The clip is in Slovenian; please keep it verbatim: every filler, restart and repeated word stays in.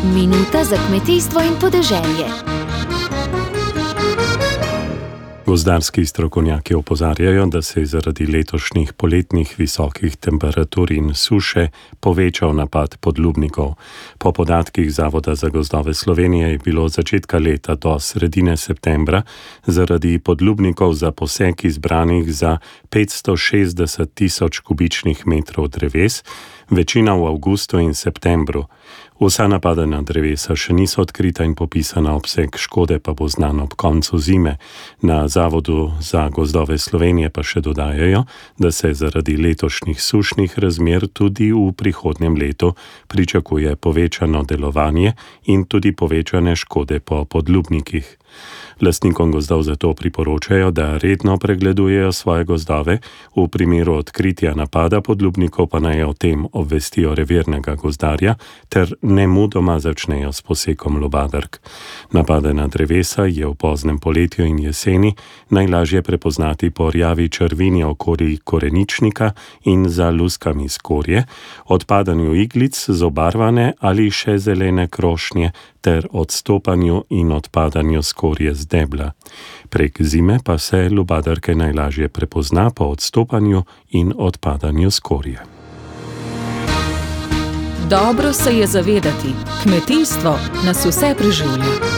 Minuta za kmetijstvo in podeželje. Gozdarski strokovnjaki opozarjajo, da se je zaradi letošnjih poletnih visokih temperatur in suše povečal napad podlubnikov. Po podatkih Zavoda za gozdove Slovenije je bilo od začetka leta do sredine septembra zaradi podlubnikov za posek izbranih za petsto šestdeset tisoč kubičnih metrov dreves, večina v avgustu in septembru. Vsa napadena drevesa še niso odkrita in popisana, obseg škode pa bo znan ob koncu zime. Na Zavodu za gozdove Slovenije pa še dodajajo, da se zaradi letošnjih sušnih razmer tudi v prihodnjem letu pričakuje povečano delovanje in tudi povečane škode po podlubnikih. Lastnikom gozdov zato priporočajo, da redno pregledujejo svoje gozdove, v primeru odkritja napada podlubnikov pa naj o tem obvestijo revirnega gozdarja ter nemudoma začnejo s posekom lubadark. Napadena drevesa je v poznem poletju in jeseni najlažje prepoznati po rjavi črvini okoli koreničnika in za luskami skorje, odpadanju iglic z obarvane ali še zelene krošnje ter odstopanju in odpadanju skorje z debla. Prek zime pa se lubadarke najlažje prepozna po odstopanju in odpadanju skorje. Dobro se je zavedati, kmetijstvo nas vse preživlja.